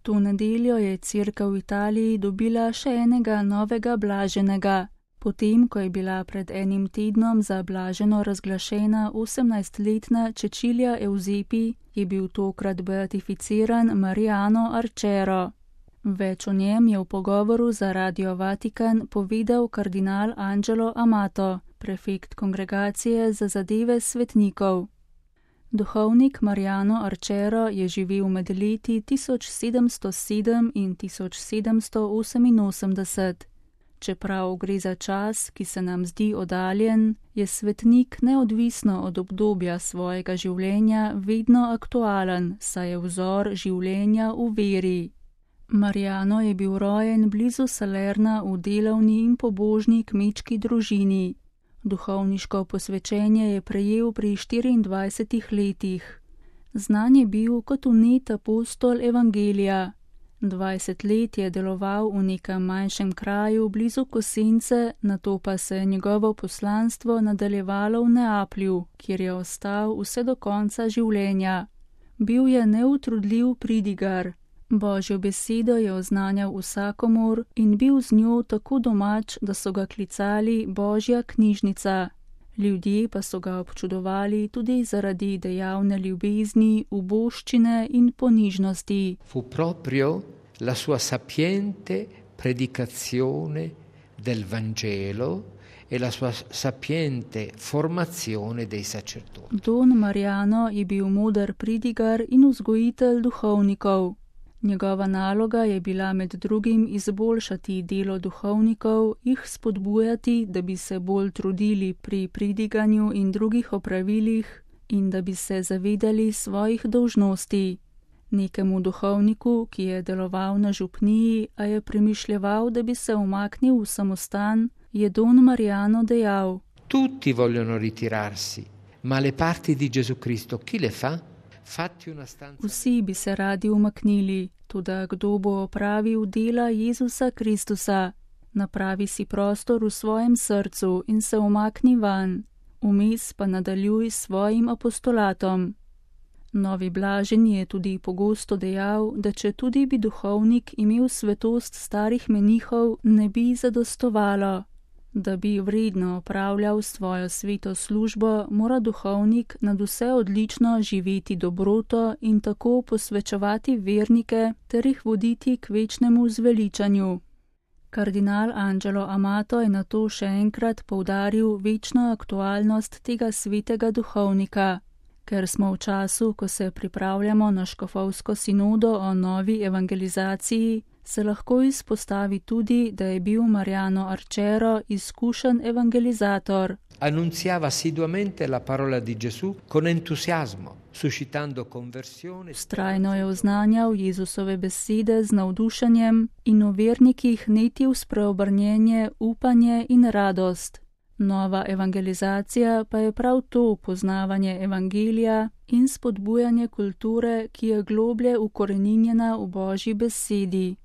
To nedeljo je cerkev v Italiji dobila še enega novega blaženega. Potem, ko je bila pred enim tednom za blaženo razglašena 18-letna Cecilia Eusepi, je bil tokrat beatificiran Mariano Arčero. Več o njem je v pogovoru za Radio Vatikan povedal kardinal Angelo Amato, prefekt kongregacije za zadeve svetnikov. Duhovnik Mariano Arčero je živel med leti 1707 in 1788. Čeprav gre za čas, ki se nam zdi oddaljen, je svetnik neodvisno od obdobja svojega življenja vedno aktualen, saj je vzor življenja v veri. Mariano je bil rojen blizu Salerna v delavni in pobožni kmečki družini. Duhovniško posvečenje je prejel pri 24 letih. Znan je bil kot vnet apostol evangelija. 20 let je deloval v nekem manjšem kraju blizu Kosence, nato pa se je njegovo poslanstvo nadaljevalo v Neaplju, kjer je ostal vse do konca življenja. Bil je neutrudljiv pridigar. Božjo besedo je oznanjal vsakomur in bil z njo tako domač, da so ga klicali Božja knjižnica. Ljudje pa so ga občudovali tudi zaradi dejavne ljubezni, uboščine in ponižnosti. Fu proprio la sua sapiente predicazione del Vangelo e la sua sapiente formazione dei sacerdoti. Don Mariano je bil moder pridigar in vzgojitelj duhovnikov. Njegova naloga je bila med drugim izboljšati delo duhovnikov, jih spodbujati, da bi se bolj trudili pri pridiganju in drugih opravilih in da bi se zavedali svojih dolžnosti. Nekemu duhovniku, ki je deloval na župniji, a je premišljeval, da bi se umaknil v samostan, je don Mariano dejal: Tutti vogliono ritirarsi, ma le parti di Gesù Cristo chi le fa? Vsi bi se radi umaknili, toda kdo bo opravil dela Jezusa Kristusa? Napravi si prostor v svojem srcu in se umakni van, vmes pa nadaljuj s svojim apostolatom. Novi blaženi je tudi pogosto dejal, da če tudi bi duhovnik imel svetost starih menihov, ne bi zadostovalo. Da bi vredno opravljal svojo sveto službo, mora duhovnik nadvse odlično živeti dobroto in tako posvečevati vernike ter jih voditi k večnemu zveličanju. Kardinal Angelo Amato je nato še enkrat poudaril večno aktualnost tega svetega duhovnika. Ker smo v času, ko se pripravljamo na škofovsko sinodo o novi evangelizaciji, se lahko izpostavi tudi, da je bil Mariano Arčero izkušen evangelizator. Annunziava assiduamente la parola di Gesù con entusiasmo, suscitando conversione. Vztrajno je oznanjal Jezusove besede z navdušenjem in v vernikih netil spreobrnjenje, upanje in radost. Nova evangelizacija pa je prav to poznavanje evangelija in spodbujanje kulture, ki je globlje ukoreninjena v Božji besedi.